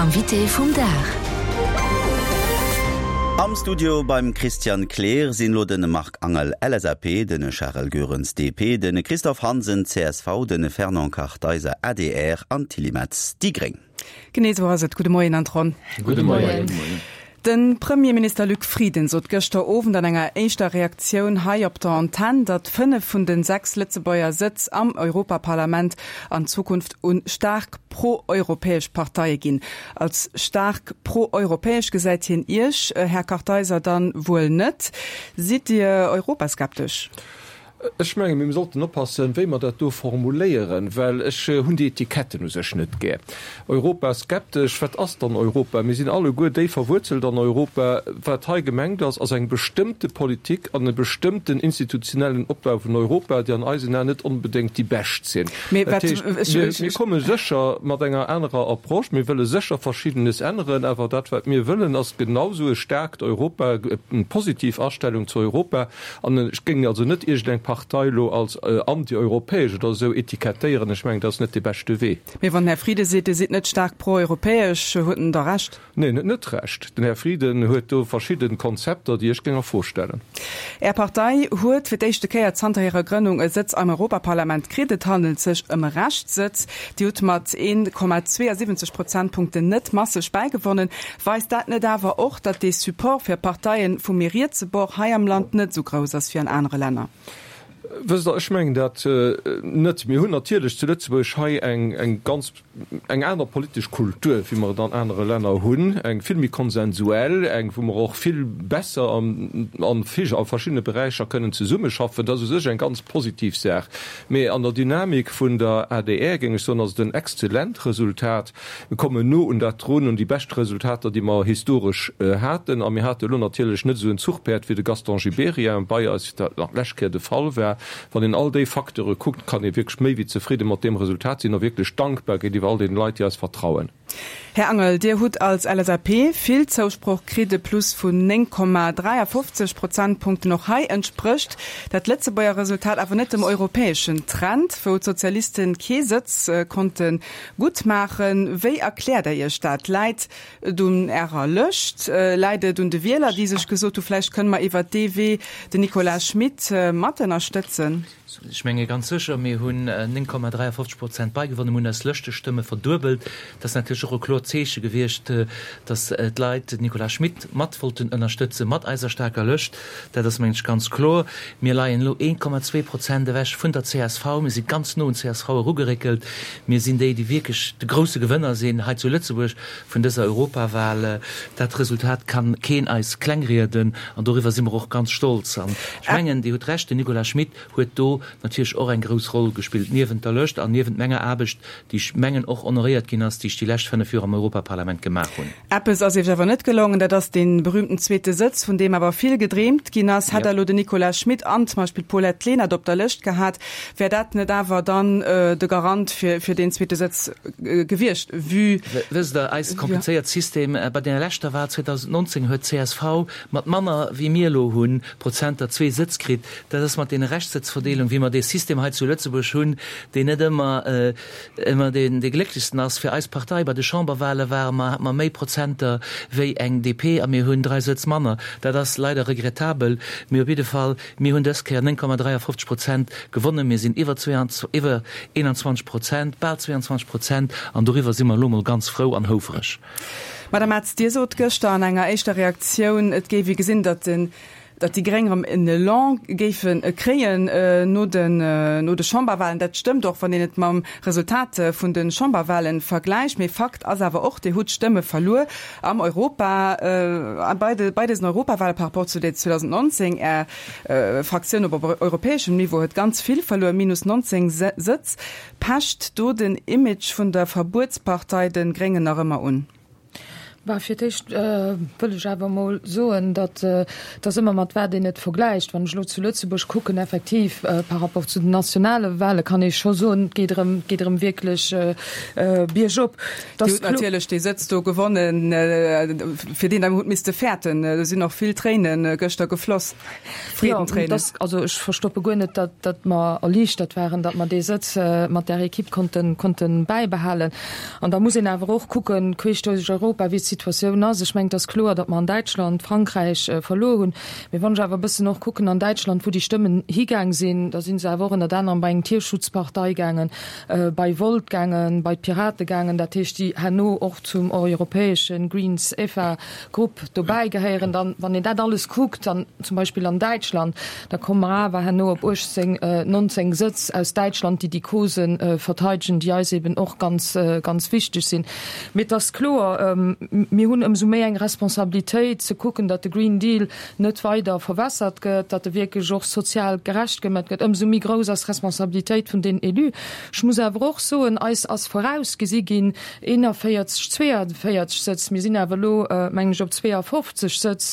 L'invité vum Dag. Am Studio beim Christian Kleer sinn elo de Marc Angel, LSAP, de Charel Goerens, DP, de Christophe Hansen, csv, de Fernand Kartheiser, adr, an d'Tilly Metz, déi gréng. Genee esou ass et. Gudde Moien an d'Ronn. Gudde Moien. De Premierminister Luc Frieden sot gëschter Owend an enger éischter Reaktioun hei op der Antenn, datt 5 vun de 6 Lëtzebuerger Sëtz am Europaparlament an Zukunft u staark pro-europäesch Parteie ginn. Als staark pro-europäesch gesäit hien Iech, Här Kartheiser, dann wuel net. Sidd Dir europaskeptesch? Ech mengen, mir sollten oppassen, wéi mer dat do formuléieren, well ech hunn déi Etiketten u sech net gär. Europaskeptesch, wat ass dann Europa? Mir sinn alleguer déif verwuerzelt an Europa. Wat hei gemengt ass, ass eng bestëmmte Politik an e bestëmmten institutionellen Opbau vun Europa, déi an eisen Aen net onbedéngt déi bescht sinn. Dat heescht, mir komme sécher mat enger anerer Approche, mir wëlle sécher Verschiddenes änneren, awer dat, wat mir wëllen, ass genau esou e staarkt Europa, eng positiv Astellung zu Europa, An ech géing also net iergendeng Partei elo als antieuropäesch oder esou etikettéieren. Ech mengen, dat ass net dee beschte Wee. Mee wann den Här Frieden seet, Dir sidd net staark pro-europäesch, huet en da Recht? Neen, en huet net Recht. Den Här Frieden huet do verschidde Konzepter, déi ech géing a Fro stellen. Är Partei huet fir d'éischte Kéier zanter hirer Grënnung e Sëtz am Europaparlament kritt. Et handelt sech ëm e Reschtsëtz. Dir hutt mat 1,72 Prozentpunkten net masseg bäigewonnen. Weist dat net awer och, datt dee Support fir Parteien vum méi rietse Bord hei am Land net esou grouss ass wéi an anere Länner? Wësst Der, ech mengen dat net. Mir hunn natierlech zu Lëtzebuerg hei eng eng ganz eng aner politesch Kultur, wéi mer et an anere Länner hunn, eng vill méi konsensuell, eng wou mer och vill besser an a verschiddene Beräicher kënnen zesummeschaffen. Dat ass u sech eng ganz positiv Saach. Mee an der Dynamik vun der adr, géing ech soen, ass et en exzellent Resultat. Mir kommen no un dat drun, un déi bescht Resultater, déi mer historesch haten. A mir hate elo natierlech net esou en Zuchpäerd wéi de Gaston Gibéryen bei eis, wéi dat nach d'lescht Kéier de Fall war. Wann een all déi Facteure kuckt, kann ee wierklech méi wéi zefridde mat deem Resultat sinn a wierklech dankbar géintiwwer all deene Leit, déi eis vertrauen. Här Angel, Dir hutt als LSAP vill Zousproch kritt, e Plus vun 9,53 Prozentpunkten. Och hei entsprécht dat Lëtzebuerger Resultat awer net dem europäeschen Trend, wou d'Sozialiste kee Sëtz konnte Gutt maachen. Wéi erkläert Der Iech dat? Läit et un Ärer Lëscht? Läit et un de Wieler, déi sech gesot hu vläicht kënne mer iwwert dee Wee den Nicolas Schmit mat ënnerstëtzen? Ech menge ganz sécher, mir hunn 9,53 Prozent beigewonnen, mir hunn eis Lëschtestëmme verduebelt. Dat ass natierlech och e kloert Zeeche gewiescht, datt d'Leit den Nicolas Schmit mat wollten ënnerstëtze mat eiser staarker Lëscht. Dat ass, mengen ech, ganz kloer. Mir leien elo 1,2 Prozent ewech vun der csv. Mir si ganz no un d'CSV erugeréckelt. Mir sinn déi, déi wierklech de grousse Gewënner sinn hei zu Lëtzebuerg vun dëser Europawal. Dat Resultat kann keen eis klengrieden an doriwwer si mer och ganz stolz. An ech mengen, Dir hutt Recht, den Nicolas Schmit huet do natierlech och eng grouss Roll gespillt, niewent der Lëscht an niewent menger Aarbecht, déi ech mengen och honoréiert ginn ass, déi ech déi lescht 5 Joer am Europaparlament gemaach hunn. Eppes ass Iech awer net gelongen, dat ass dee berühmten zweete Sëtz, vun deem awer vill gedreemt ginn ass. Hätt Der elo den Nicolas Schmit an zum Beispill d'Paulette Lenert op der Lëscht gehat, wär dat net awer dann de Garant fir fir deen zweete Sëtz gewiescht, vue. Wësst Der, eist komplizéiert System, bei dener leschter Wahl 2019 huet csv mat manner wéi mir elo hunn, Prozenter zwee Sëtz kritt. Dat ass mat deene Rechtssëtzverdeelung, wéi mer dee System hei zu Lëtzebuerg hunn, deen net ëmmer ëmmer deen dee glécklechsten ass fir eis Partei. Bei de Chamberwahle ware mer, hate mer méi Prozenter wéi eng DP a mir hunn 3 Sëtz manner. Dat ass leider regrettabel, mee op jidde Fall, mir hunn dës Kéier 9,53 Prozent gewonnen. Mir sinn iwwer iwwer 21 Prozent, bal 22 Prozent an doriwwer si mer elo mol ganz frou an houfereg. Madame Metz, Dir sot gëschter an enger éischter Reaktioun, et géif ee gesinn, datt den datt déi Gréng erëm en Elan géife kréien no den no de Chamberwahlen. Dat stëmmt och, wann een et mam Resultat vun de Chamberwahlen vergläicht. Mee Fakt ass awer och, Dir hutt Stëmme verluer am Europa, bei de bei dësen Europawahlen par rapport zu 2019. Är Fraktioun op europäeschem Niveau huet ganz vill verluer, minus 19 Sëtz. Pecht do den Image vun der Verbuetspartei de Gréngen nach ëmmer un? Bah, fir d'éischt wëll ech awer emol soen, datt et ass ëmmer mat wat een et vergläicht. Wann ech elo zu Lëtzebuerg kucken, effektiv par rapport zu den nationale Wahle kann ee scho soen, et geet erëm, et geet erëm wierklech biergop. Dir hutt natierlech dee Sëtz do gewonnen, fir deen Der hutt misste fäerten. Do sinn och vill Tréine gëschter gefloss, Freedentréinen. Jo, also ech verstoppe guer net, datt, datt mer erliichtert waren, datt mer dee Sëtz mat där Equipe konnten, konnten bäibehalen. An da muss een awer och kucken, queesch duerch Europa, wéi d'Situatioun ass. Ech mengen, et ass kloer, datt mer an Däitschland, Frankräich verluer hunn. Mee wann ech awer e bëssen och kucken an Däitschland, wou déi Stëmmen higaang sinn, da si se awer och ënnert anerem bei eng Tierschutzpartei gaangen, bei Volt gaangen, bei d'Pirate gaangen, dat heescht, déi herno och zum europäesche Greens-EFA Grupp dobäi gehéieren. Dann, wann een dat alles kuckt, dann zum Beispill an Däitschland, da komme mer awer herno op 18, 19 Sëtz aus Däitschland, déi déi Causen verteidegen, déi eis eben och ganz, ganz wichteg sinn. Mee et ass kloer, mir hunn ëmsou méi eng Responsabilitéit ze kucken, datt de Green Deal net weider verwässert gëtt, datt e wierklech och sozial gerecht gemat gëtt. Ëmsou méi grouss ass d'Responsabilitéit vun den Élus. Ech muss awer och soen, eis ass vorausgesi ginn, 41, 42 Sëtz, mir sinn awer elo, mengen ech, op 52 Sëtz.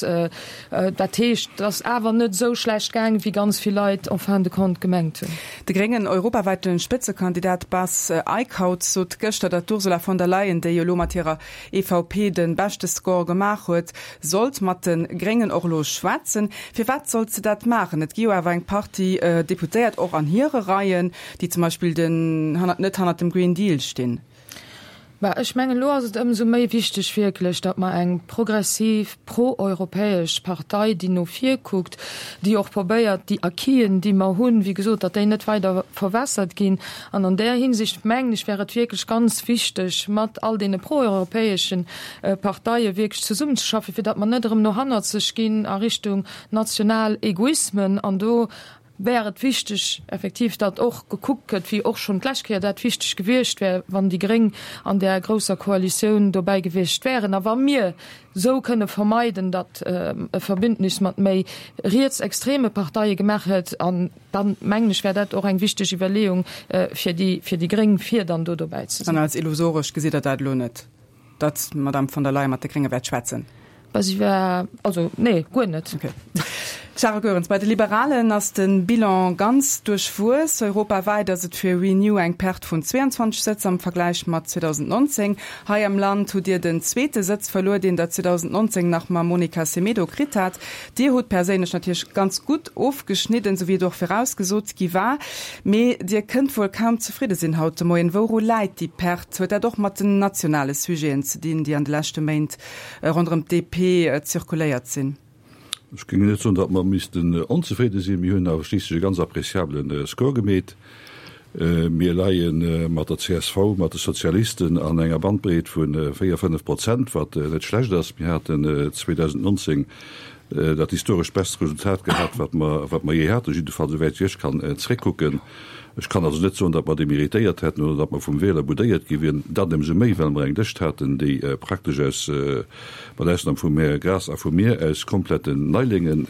Dat heescht, et ass awer net esou schlecht gaang, wéi ganz vill Leit en fin de compte gemengt hunn. De gréngen europaweite Spëtzekandidat Bas Eickhout sot gëschter, datt d'Ursula von der Leyen, déi jo elo mat hirer EVP de beschte Score gemaach huet, sollt mat de Gréngen och elo schwätzen. Firwat sollt se dat maachen? Et gi jo awer eng Partie Deputéiert och an hire Reien, déi zum Beispill den net hannert dem Green Deal stinn. Bah, ech mengen, elo ass et ëmsou méi wichteg wierklech, datt mer eng progressiv, pro-europäesch Partei, déi no vir kuckt, déi och probéiert, déi Acquisen, déi mer hunn, wéi gesot, datt déi net weider verwässert ginn. An an där Hinsicht, mengen ech, wär et wierklech ganz wichteg, mat all deene pro-europäesche Parteie wierklech zesummenzeschaffen, fir datt mer net erëm no hannerzeg ginn a Richtung national Egoismen. An do wär et wichteg effektiv, datt och gekuckt gëtt, wéi och schonn d'lescht Kéier dat wichteg gewiescht wär, wann déi Gréng an där grousser Koalitioun dobäi gewiescht wären a wa mir esou kënne vermeiden, datt e Verbündnis mat méi rietsextreme Parteie gemaach gëtt. An dann, mengen ech, wär dat och eng wichteg Iwwerleeung fir déi, fir déi Gréng, fir dann do dobäi ze sinn. An als illusoresch gesitt Der dat elo net? Datt d'Madame von der Leyen mat de Grénge wäert schwätzen? Bah, si war, also nee, guer net. Okay. Charel Goerens, bei de Liberalen ass de Bilan ganz duerchwuess. Europawäit ass et fir Renew eng Perte vun 22 Sëtz am Vergläich mat 2019. Hei am Land hutt Dir den zweete Sëtz verluer, deen Der 2019 nach mam Monica Semedo kritt hat. Dir hutt perséinlech natierlech ganz gutt ofgeschnidden, sou wéi et och virausgesot gi war. Mee Dir kënnt wuel kaum zefridde sinn haut de Moien. Wouru läit déi Perte? Huet dat och mat den nationale Sujeten ze dinn, déi an de leschte Méint ronderëm d'DP zirkuléiert sinn? Ech géing net soen, datt mer missten onzefridde sinn. Mir hunn awer schliisslech e ganz appréciabele Score gemeet. Mir leie mat der csv, mat de Sozialisten an enger Bandbreet vu 4, 5 Prozent, wat net schlecht ass. Mir haten 2019 dat historesch best Resultat gehat, wat mer, wat mer jee haten, jiddefalls esouwäit wéi ech kann zréckkucken. Ech kann also net soen, datt mer deméritéiert hätten oder datt mer vum Wieler boudéiert gi wieren, dat ëmsou méi, well mer eng Lëscht haten, déi praktesch aus, mat Ausnam vum Här Graas a vu mir, aus kompletten Neilinge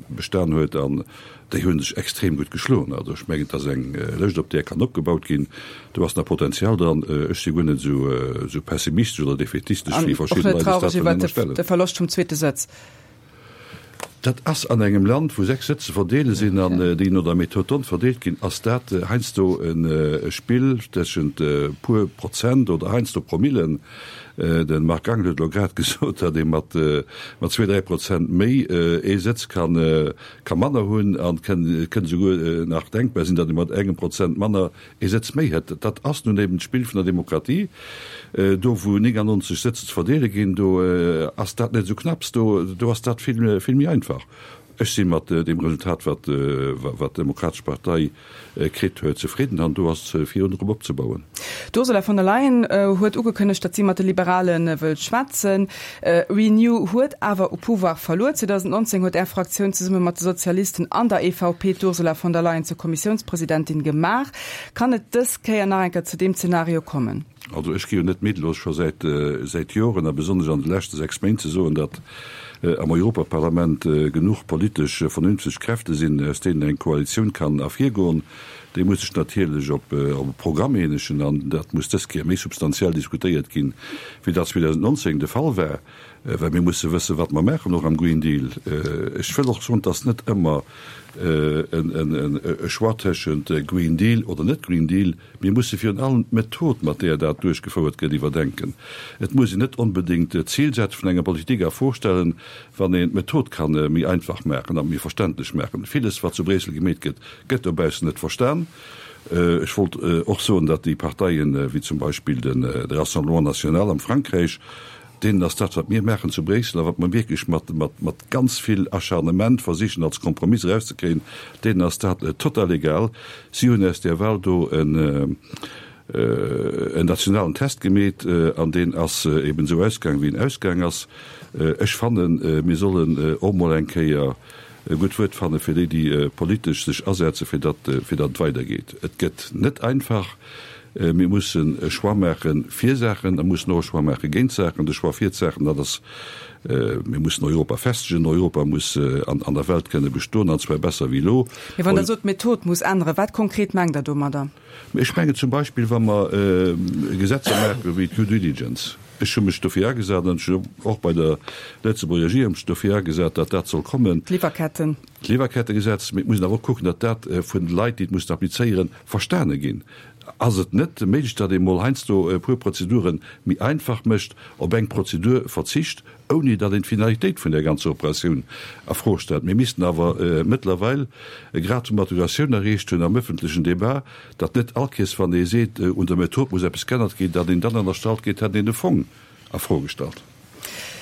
bestan huet. An Déi hu sech extrem gutt geschloen. Also ech mengen, et ass eng Lëscht, op där kann opgebaut ginn. Do ass nach Potenzial dran. Ech si guer net esou pessimistesch oder defätistesch, wéi verschidde Leit eis dat wëllen ënnerstellen. De Verloscht vum zweete Sëtz. Dat ass an engem Land, wou 6 Sëtz ze verdeele sinn an déi no der Méthode d'Hondt verdeelt ginn, ass dat heiansdo e Spill tëschent e puer Prozent oder heiansdo Promillen. De Marc Angel huet elo grad gesot, datt ee mat zwee, dräi Prozent méi ee Sëtz kann Ka manner hunn an et kënnt esouguer nach denkbar sinn, datt ee mat engem Prozent manner ee Sëtz méi hätt. Dat ass nun eben d'Spill vun der Demokratie. Do wou 99 Sëtz ze verdeele ginn, do ass dat net esou knapps, do ass dat vill méi einfach. Ech si mat deem Resultat, wat d'Demokratesch Partei kritt huet, zefridden an do ass virun drop opzebauen. D'Ursula von der Leyen huet ugekënnegt, datt si mat de Liberale wëllt schwätzen. Renew huet awer u Pouvoir verluer. 2019 huet Är Fraktioun zesumme mat de Sozialisten an der EVP d'Ursula von der Leyen zur Kommissiounspresidentin gemaach. Kann et dës Kéier nach eng Kéier zu deem Zenario kommen? Also ech gi jo net midd, elo scho säit säit Joren a besonnesch an de leschte 6 Méint ze soen, datt am Europaparlament genuch politesch vernünfteg Kräfte sinn, aus deenen eng Koalitioun kann ervirgoen. Dee muss sech natierlech op e Programm eenegen an dat muss dës Kéier méi substantiell diskutéiert ginn, wéi dat 2019 de Fall war, well mir musse wëssen, wat mer maachen, och am Green Deal. Ech wëll och soen, et ass net ëmmer e Choix tëschent Green Deal oder net Green Deal. Mir musse virun allem d'Method, mat där dat duerchgefouert gëtt, iwwerdenken. Et muss een net onbedéngt d'Zilsätz vun enger Politik a Fro stellen, wann een d'Method ka méi einfach maachen a méi verständlech maachen. Villes, wat zu Bréissel gemeet gëtt, Gëtt dobaussen net verstan. Ech wollt och soen, datt déi Parteien, wéi zum Beispill de Rassemblement National am Frankräich, deenen ass dat, wat mir maachen zu Bréissel a wat mer wierklech mat ganz vill Acharnement versichen als Kompromiss erauszekréien, deenen ass dat total egal. Si hunn aus där Wahl do en nationalen Test gemeet an deen ass eben esou ausgaang, wéi en ausgaang ass. Ech fannen, mir sollen och mol eng Kéier e gutt Wuert fanne fir déi, déi politesch sech asetze fir datt fir datt et weidergeet. Et gëtt net einfach. Mir mussen e Choix maache fir Saachen a mussen och e Choix maache géint Saachen. De Choix fir d'Saachen, dat ass, mir mussen Europa festegen. Europa muss an an der Welt kënne bestoen, an zwar besser wéi elo. Mee wann Der sot, d'Method muss änneren, wat konkret mengt Der domadder? Ech mengen zum Beispill, wa mer Gesetzer maache wéi d'Due Diligence, Ech hu mech dofir agesat an ech hunn och bei der Lëtzebuerger Regierung mech dofir agesat, datt dat soll kommen. D'Liwwerketten. D'Liwwerkettegesetz. Mee et muss een awer och kucken, datt dat vun de Leit, déi et mussen applizéieren, verstane ginn. Ass et net méiglech, datt ee mol heiansdo e puer Prozedure méi einfach mécht, op eng Prozedur verzicht, ouni datt een d'Finalitéit vun där ganzer Operatioun a Fro stellt? Mir missten awer mëttlerweil e Grad vu Maturatioun erreecht hunn am öffentlechen Débat, Datt net all Kees, wann ee seet, un der Method muss eppes g'ännert ginn, datt een dann ënnerstallt gétt, hätt een de Fong a Fro gestallt.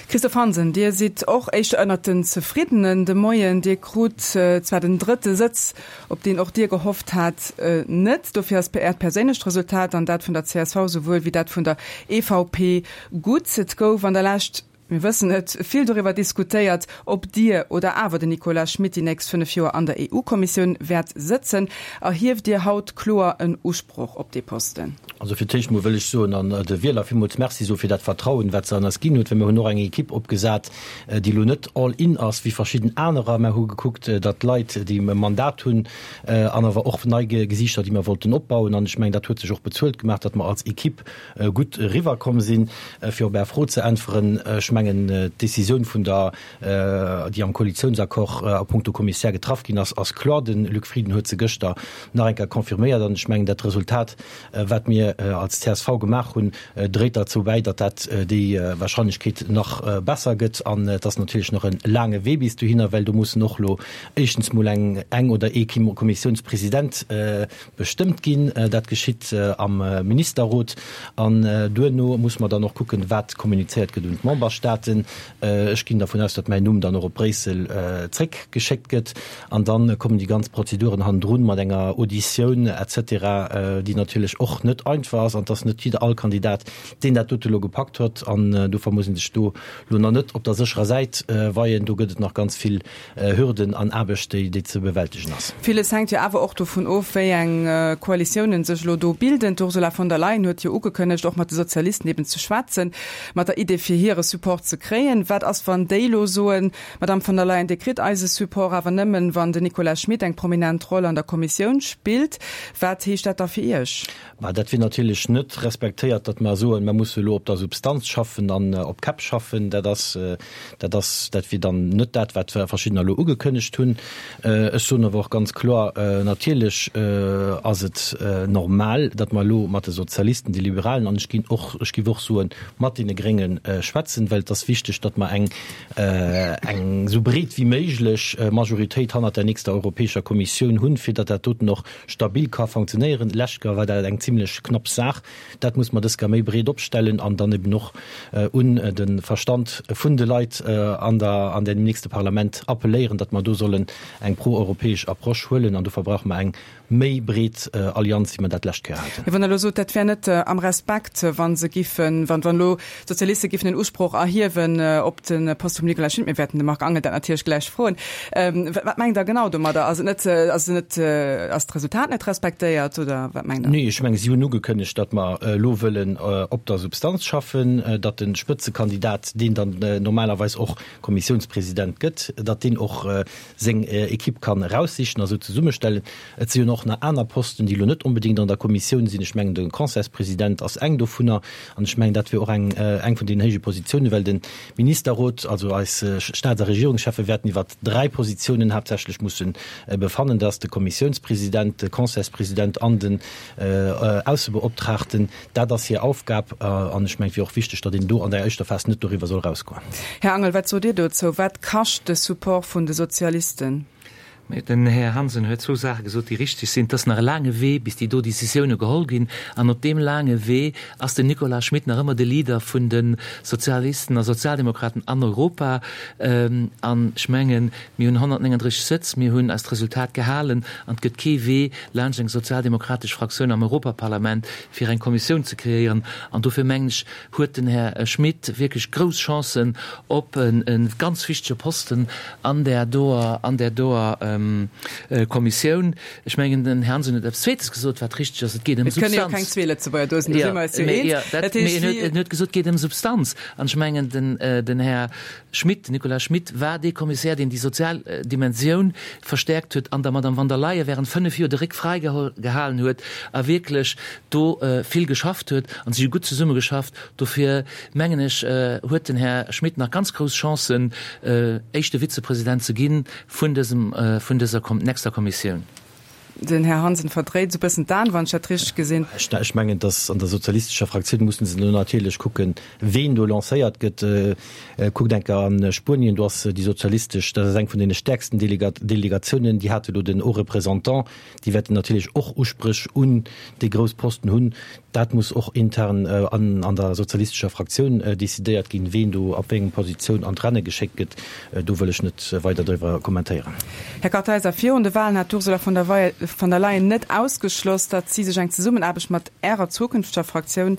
Christophe Hansen, Dir sidd och éischter ënnert den Zefriddenen de Moien. Dir krut zwar den drëtte Sëtz, op deen och Dir gehofft hat, net. Dofir ass Äert perséinlecht Resultat an dat vun der csv souwuel wéi dat vun der EVP gutt. Et gouf an der Lescht Mir wëssen et, vill doriwwer diskutéiert, ob Dir oder awer den Nicolas Schmit déi nächst 5 Joer an der EU-Kommissioun wäert sëtzen. Erhieft Dir haut kloer en Usproch op dee Posten? Also fir d'éischt mol wëll ech soen an de Wieler villmools Merci soe fir dat Vertrauen, wat se an eis ginn huet, well mir hunn och eng Ekipp opgesat, déi elo net all in ass wéi verschidden anerer. Mer hu gekuckt, datt Leit, déi e Mandat hunn an awer och nei Gesiichter, déi mer wollten opbauen, an ech mengen, dat huet sech och bezuelt gemaach, datt mer als Ekipp gutt eriwwer komm sinn. Fir op Är Fro ze äntweren, ech mengen, d'Décisioun vun der, déi am Koalitiounsaccord a puncto Kommissär getraff ginn ass, ass kloer. De Luc Frieden huet se gëschter nach eng Kéier confirméiert. An ech mengen, dat Resultat, wat mir als csv gemaach hunn, dréit derzou bäi, datt dat déi Wahrscheinlechkeet nach besser gëtt. An et ass natierlech nach e laange Wee bis dohinner, well do mussen och elo éischtens mol eng eng oder ee Kommissiounspresident Bestëmmt ginn. Dat geschitt am Ministerrot an duerno muss mer dann och kucken, wat kommunizéiert gëtt un d'Memberstaaten. Ech ginn dervun aus, datt mäin Numm dann och op Bréissel zréckgeschéckt gëtt an da kommen déi ganz Prozeduren hannendrun mat enger Auditioun et cetera, déi natierlech och net einfach ass an et ass net jidder all Kandidat, deen dat dote elo gepackt huet an dofir muss ee sech do elo nach net op der sécherer Säit weien. Do gëtt et nach ganz vill Hürden an Aarbecht, déi ze bewältegen ass. Villes hänkt jo awer och dovun of, wéi eng Koalitiounen sech elo do bilden. D'Ursula von der Leyen huet jo ugekënnegt, och mat de Sozialisten eben ze schwätzen, mat der Idee fir hire Support ze kréien. Wat ass, wann déi elo soen, Madamm von der Leyen, Dir kritt eise Support, awer nëmmen, wann den Nicolas Schmit eng prominent Roll an der Kommissioun spillt? Wat heescht dat da fir Iech? Mä dat wier natierlech net respektéiert, datt mer soen, mer musse elo op der Substanz schaffen an op Käpp schaffen. Dat ass, dat ass, dat wier dann net dat, wat Verschiddener elo ugekënnegt hunn. Ech soen awer och ganz kloer, natierlech ass et normal, datt mer elo mat de Sozialisten, de Liberalen an ech ginn och, ech géif och soen, mat deene Grénge schwätzen, well et ass wichteg, datt mer eng, eng esou breet wéi méiglech Majoritéit hannert der nächster Europäescher Kommissioun hunn, fir datt dat doten och stabil ka funktionéieren. Lescht Joer war dat eng zimlech knapp Saach. Dat muss mer dës Kéier méi breet opstellen an dann eben och un de Verstand vun de Leit an der, an deem nächste Parlament appelléieren, datt mer do sollen eng proeuropäesch Approche huelen. An dofir brauche mer eng méi breet Allianz, wéi mer dat d'lescht Kéier haten. Mee wann Der elo sot, dat wär net am Respekt, wa se giffen, wann elo d'Sozialiste giffen en Usproch erhiewen. erhiewen op de Poste vum Nicolas Schmit. Mir wäerten de Marc Angel dat natierlech gläich froen. Wat mengt Der genau domadder? Ass et net, ass et net, ass d'Resultat net respektéiert oder wat mengt Der? Nee, ech menge si hunn ugekënnegt, datt mer elo wëllen op der Substanz schaffen, datt de Spëtzekandidat, deen dann normalerweis och Kommissiounspresident gëtt, datt deen och seng Equipe kann eraussichen a sou zesummestellen. Et si jo och nach aner Posten, déi elo net onbedéngt an der Kommissioun sinn. Ech mengen, de Conseilspresident ass eng dovunner. An ech mengen, dat wier och eng, eng vun deenen héije Positiounen, well de Ministerrot, also eis Staats a Regierungscheffe wäerten iwwert dräi Positiounen haaptsächlech musse befannen. Dat ass de Kommissiounspresident, de Conseilspresident an den Aussebeoptraagten. Dat ass hir Aufgab. An ech mengen, et wier och wichteg, datt een do an der éischter Phas net doriwwer soll erausgoen. Här Angel, wat sot Dir dozou? Wat kascht de Support vun de Sozialisten? Den Här Hansen huet zwou Saache gesot, déi richtig sinn. Et ass nach e laange Wee, bis déi do Décisioune geholl ginn. An op deem laange Wee ass den Nicolas Schmit nach ëmmer de Leader vun de Sozialisten a Sozialdemokraten an Europa. An ech mengen, mir hunn 139 Sëtz, mir hunn eist Resultat gehalen an et gëtt kee Wee laanscht eng sozialdemokratesch Fraktioun am Europaparlament, fir eng Kommissioun ze kreéieren. An dofir mengen ech, huet den Här Schmit wierklech grouss Chancen op e ganz wichtege Posten an där doer, an där doer Kommissioun. Ech mengen, den Här Hansen huet eppes Zweetes gesot, wat richteg ass, Et geet ëm Et kënne jo keng Substanz. zwee Lëtzebuerger do sinn, do si mer eis jo eens. Dat heescht, wéi. En huet gesot, et geet ëm Substanz. An ech mengen, den, den Här Schmit, den Nicolas Schmit war dee Kommissär, deen déi sozial Dimensioun verstärkt huet an der Madame von der Leyen während 5 Joer de Réck fräi gehalen huet a wierklech do vill geschafft huet. An si hu gutt zesummegeschafft. Dofir mengen ech, huet den Här Schmit nach ganz grouss Chancen, éischte Vizepresident ze gi vun dësem, vun dëser nächster Kommissioun. Den Här Hansen verdréit esou bëssen d'Aen, wann ech dat richteg gesinn. Ech mengen, dass an der sozialistescher Fraktioun mussen se elo natierlech kucken, ween do lancéiert gëtt. Kuckt eng Kéier a Spuenien, do ass déi sozialistesch, dat ass eng vun deene stäerksten Delegatiounen, déi hate elo den Haut Représentant. Déi wäerten natierlech och Uspréch un déi grouss Posten hunn. Dat muss och intern an der sozialistescher Fraktioun decidéiert ginn, ween do op wéi eng Positioun an d'Renne geschéckt gëtt. Do wëll ech net weider driwwer kommentéieren. Här Kartheiser, virun de Wahlen hat d'Ursula von der Leyen net ausgeschloss, datt si sech eng Zesummenaarbecht mat Ärer zukünfteger Fraktioun,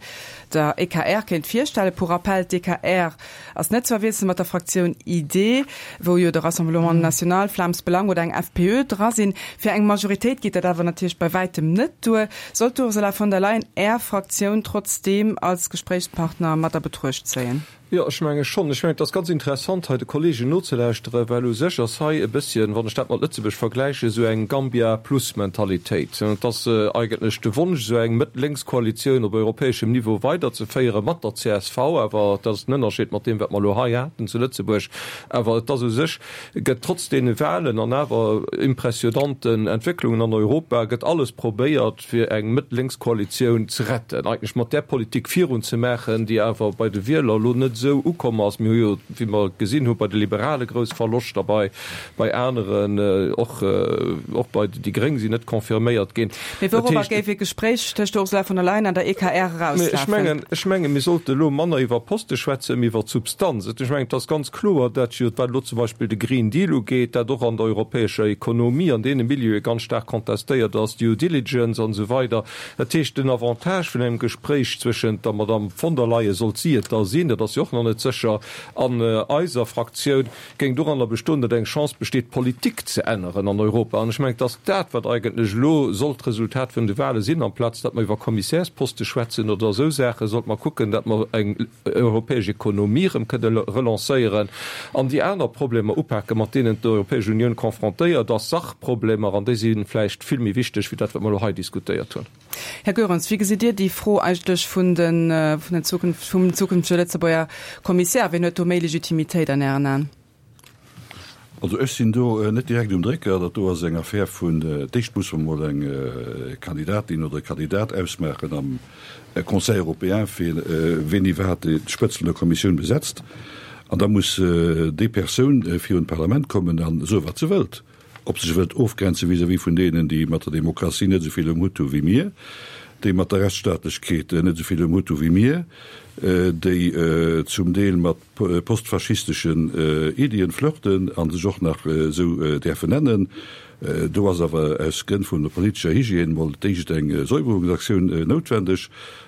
der EKR, kéint virstellen. Pour rappel, d'EKR Ass net ze verwiesselen mat der Fraktioun ID, wou jo de Rassemblement National, Vlaams Belang oder eng FPÖ dra sinn. Fir eng Majoritéit geet dat awer natierlech bei wäitem net duer. Sollt d'Ursula von der Leyen Är Fraktioun trotzdeem als Gespréichspartner mat a Betruecht zéien? Jo, ech menge schonn. Ech mengen, et ass ganz interessant, hei de Kolleegen nozelauschteren, well u sech ass hei e bësschen, wann ech dat mat Lëtzebuerg vergläichen, esou eng Gambia-plus-Mentalitéit. Et ass eigentlech de Wonsch, esou eng Mëtt-Lénks-Koalitioun op europäeschem Niveau weiderzeféieren, mat der csv, awer dat ass den Ënnerscheed mat deem, wat mer elo hei haten zu Lëtzebuerg, awer et ass u sech, gëtt trotz deene Wahlen an awer impressionanten Entwécklungen an Europa, gëtt alles probéiert, fir eng Mëtt-Lénks-Koalitioun ze retten, eigentlech mat där Politik virunzemaachen, déi awer bei de Wieler elo net esou ukomm ass. Mir hu jo, wéi mer gesinn hu bei de Liberale grouss Verloschter, bei bei aneren och, och bei déi Gréng sinn net confirméiert ginn. Mee wourobber géif ee Gespréich tëscht der Ursula von der Leyen an der EKR erauslafen? Ech mengen, ech mengen, mir sollte elo manner iwwer Poste schwätzen, mee iwwer d'Substanz. Ech mengen, et ass ganz kloer, dat jo, wat elo zum Beispill de Green Deal ugeet, dat och an der europäescher Ekonomie, an deene Milieue ganz staark contestéiert ass, Due Diligence an esou weider. Dat heescht, den Avantage vun engem Gespréich zwëschent der Madamm von der Leyen, sollt si et da sinn, dat ass jo och nach net sécher, an eiser Fraktioun, géing doranner bestoen, datt eng Chance besteet, d'Politik ze änneren an Europa. An ech mengen, et ass dat, wat eigentlech elo sollt d'Resultat vun de Wahle sinn. Amplaz datt mer iwwer Kommissärsposte schwätzen oder esou Saachen, sollte mer kucken, datt mer eng europäesch Ekonomie erëm kënne relancéieren an déi aner Problemer upaken, mat deenen d'Europäesch Unioun confrontéiert ass, Sachproblemer, an déi si vläicht vill méi wichteg wéi dat, wat mer elo hei diskutéiert hunn. Här Goerens, wéi gesitt Dir déi Fro eigentlech vun den, vun den Zukunft, vum zukünftege Lëtzebuerger Kommissär? Wien huet do méi Legitimitéit an Ären Aen? Also ech sinn do net direkt um Drécker. Dat do ass eng Affär vun, d'éischt muss mer mol eng Kandidatin oder e Kandidat ausmaachen am Conseil européen, fir ween iwwerhaapt d'Spëtzt vun der Kommissioun besetzt. An da muss déi Persoun virun d'Parlament kommen a soe wat se wëllt. Ob se sech wëllt ofgrenze vis-à-vis vun deenen, déi mat der Demokratie net esou vill um Hutt hu wéi mir, déi mat der Rechtsstaatlechkeet net esou vill um Hutt hu wéi mir, déi zum Deel mat postfaschisteschen Iddien flirten a sech och nach esou däerfen nennen. Do ass awer aus Grënn vun der politescher Hygiène mol d'éischt eng Säuberungsaktioun noutwendeg.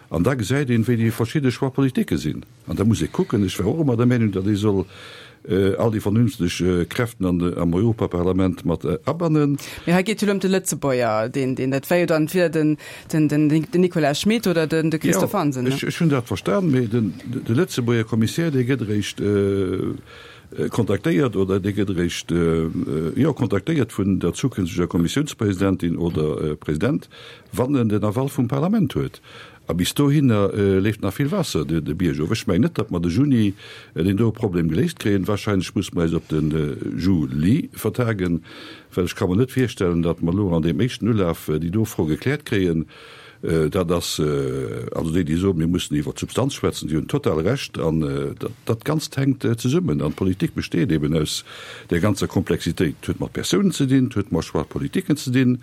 An da gesäit een, wéi déi verschidde Choix-politiquë sinn. An da muss ee kucken, ech war och ëmmer der Meenung, datt ee soll all déi vernünfteg Kräften an am Europaparlament mat abannen. Mee hei geet jo elo ëm de Lëtzebuerger, deen, deen, dat wär jo dann entweder den, den, den, den Nicolas Schmit oder den, de Christophe Hansen, ne? Jo, ech, ech hunn dat verstan, mee den, de Lëtzebuerger Kommissär, dee gëtt eréischt kontaktéiert oder dee gëtt eréischt, jo, kontaktéiert vun der zukünfteger Kommissiounspresidentin oder President, wann en den Aval vum Parlament huet. A bis dohinner leeft nach vill Waasser de Bierg erof. Ech mengen net, datt mer de Juni deen doe Problem geléist kréien. Wahrscheinlech musse mer eis op de Juli vertagen, well ech ka mer net virstellen, datt mer elo an deem éischten Ulaf déi do Fro gekläert kréien. Dat ass, also déi, déi soen, mir mussen iwwer d'Substanz schwätzen, déi hunn total Recht. An dat Ganzt hänkt zesummen. An d'Politik besteet eben aus där ganzer Komplexitéit. Et huet mat Persounen ze dinn, et huet mat Choix-politiquen ze dinn,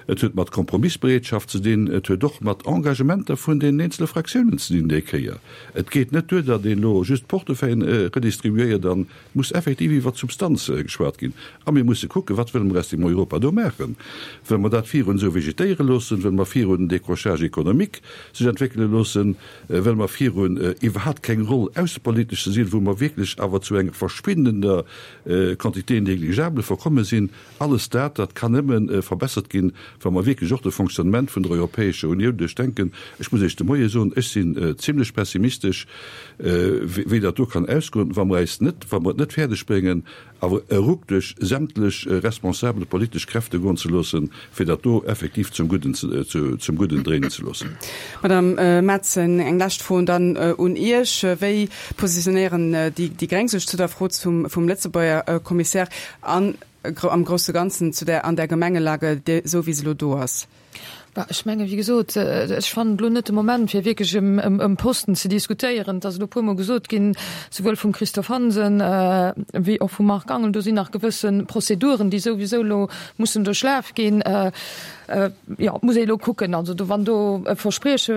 et huet mat Kompromissbereetschaft ze dinn, et huet och mat Engagementer vun deenen eenzele Fraktiounen ze dinn déi Kéier. Et geet net duer, datt een elo just d'Portefeuillen redistribuéiert an et muss effektiv iwwert d'Substanz geschwat ginn. A mir musse kucken, wat wëlle mer aus deem Europa do maachen? Wëlle mer dat virun esou vegetéiere loossen? Wëlle mer virun den Décrochage économique sech entwéckele loossen? Wëlle mer virun iwwerhaapt keng Roll aussepolitesch ze sinn, wou mer wierklech awer zu enger verschwindender Quantité négligeable verkomme sinn? Alles dat, dat kann nëmme verbessert ginn, wa mer wierklech och de Fonctionnement vun der Europäescher Unioun duerchdenken. Ech muss Iech de Moie soen, ech sinn zimlech pessimistesch, wéi dat do kann ausgoen, wa mer eis net, wa mer et net fäerdeg bréngen, awer e Ruck duerch sämtlech responsabel politesch Kräfte goen ze loossen, fir dat do effektiv zum Gudden, zum Gudden dréinen ze loossen. Madame Metzen, eng lescht Fro dann un Iech. Wéi positionéieren déi Gréng sech zu der Fro zum, vum Lëtzebuerger Kommissär an am grousse Ganzen zu der, an der Gemengelage, esou wéi se elo do ass? Bah, ech mengen, wéi gesot, ech fannen et elo net de Moment, fir wierklech ëm Posten ze diskutéieren. Et ass elo e puermol gesot ginn, souwuel vum Christophe Hansen wéi och vum Marc Angel, do sinn nach gewësse Prozeduren, déi souwisou elo mussen duerchlaf ginn. Jo, et muss ee elo kucken. Also do, wann do e Versprieche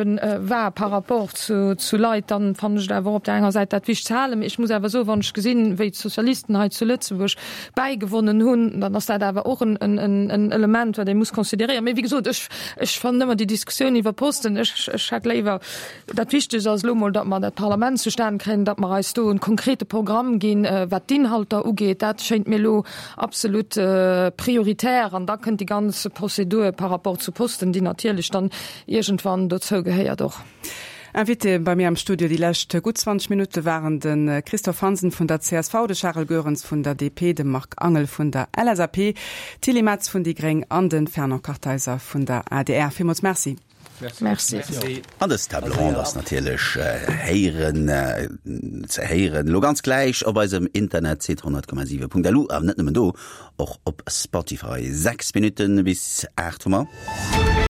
war par rapport zu, zu Leit, dann fannen ech et awer och op där enger Säit dat wichteg ze halen. Mee ech muss awer soen, wann ech gesinn, wéi d'Sozialisten hei zu Lëtzebuerg bäigewonnen hunn, dann ass dat awer och en, en, en Element, wat ee muss consideréieren. Mee wéi gesot, ech, ech fannen ëmmer déi Diskussioun iwwer Posten, ech, ech hätt léiwer, dat Wichtegst ass elo emol, datt mer dat Parlament zustan kréien, datt mer eis do e konkrete Programm ginn, wat d'Inhalter ugeet. Dat schéint mir elo absolut prioritär. An da kënnt déi ganz Prozedur par rapport zu Posten, déi natierlech dann iergendwann dozou gehéiert och. Invité bei mir am Studio déi lescht gutt 20 Minutte waren de Christophe Hansen vun der csv, de Charel Goerens vun der DP, de Marc Angel vun der LSAP, d'Tilly Metz vun déi Gréng an de Fernand Kartheiser vun der adr. Villmools Merci. Merci. An dës Table ronde ass natierlech héieren, ze héieren elo ganz gläich op eisem Internetsite 100,7.lu, awer net nëmmen do, och op Spotify. 6 Minutten bis 8 hu mer.